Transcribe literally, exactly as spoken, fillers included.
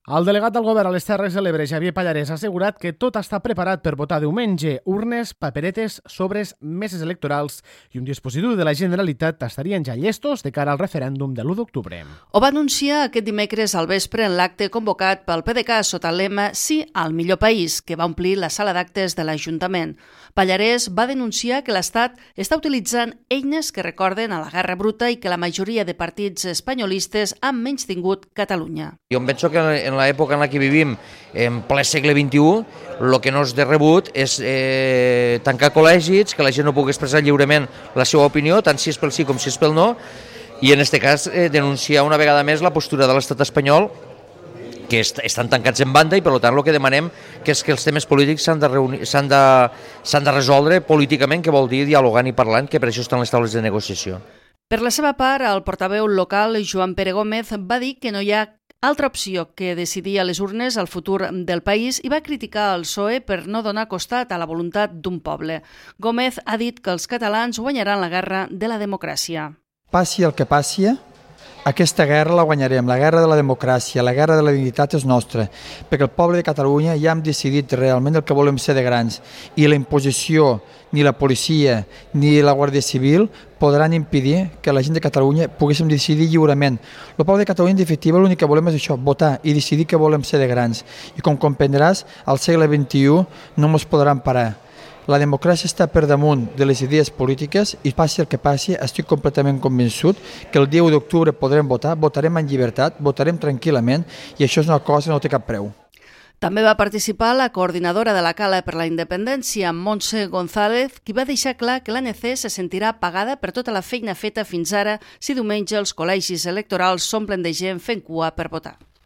El delegat del govern a les Terres de l'Ebre, Xavier Pallarès, ha assegurat que tot està preparat per votar diumenge. Urnes, paperetes, sobres, meses electorals i un dispositiu de la Generalitat estarien ja llestos de cara al referèndum de l'u d'octubre. Ho va anunciar aquest dimecres al vespre en l'acte convocat pel P D C A sota el lema Sí al millor país, que va omplir la sala d'actes de l'Ajuntament. Pallarès va denunciar que l'Estat està utilitzant eines que recorden a la Guerra Bruta i que la majoria de partits espanyolistes han menystingut Catalunya. Jo em penso que en l'època en la que vivim, en ple segle vint-i-u, el que no és de rebut és eh, tancar col·legis, que la gent no pugui expressar lliurement la seva opinió, tant si és pel sí com si és pel no, i en aquest cas eh, denunciar una vegada més la postura de l'estat espanyol, que est estan tancats en banda i per tant el que demanem que és que els temes polítics s'han de, reunir, s'han de, s'han de resoldre políticament, que vol dir dialogant i parlant, que per això estan les taules de negociació. Per la seva part, el portaveu local, Joan Pere Gómez, va dir que no hi ha altra opció que decidir a les urnes el futur del país i va criticar el P S O E per no donar costat a la voluntat d'un poble. Gómez ha dit que els catalans guanyaran la guerra de la democràcia. Passi el que passi, aquesta guerra la guanyarem, la guerra de la democràcia, la guerra de la dignitat és nostra, perquè el poble de Catalunya ja hem decidit realment el que volem ser de grans i la imposició, ni la policia ni la Guàrdia Civil podran impedir que la gent de Catalunya poguéssim decidir lliurement. El poble de Catalunya, en definitiva, l'únic que volem és això, votar i decidir que volem ser de grans. I com comprendràs, al segle vint-i-u no ens podran parar. La democràcia està per damunt de les idees polítiques i passi el que passi, estic completament convençut que el dia u d'octubre podrem votar, votarem en llibertat, votarem tranquil·lament i això és una cosa que no té cap preu. També va participar la coordinadora de la Cala per la Independència, Montse González, qui va deixar clar que l'A N C se sentirà pagada per tota la feina feta fins ara si diumenge els col·legis electorals s'omplen de gent fent cua per votar.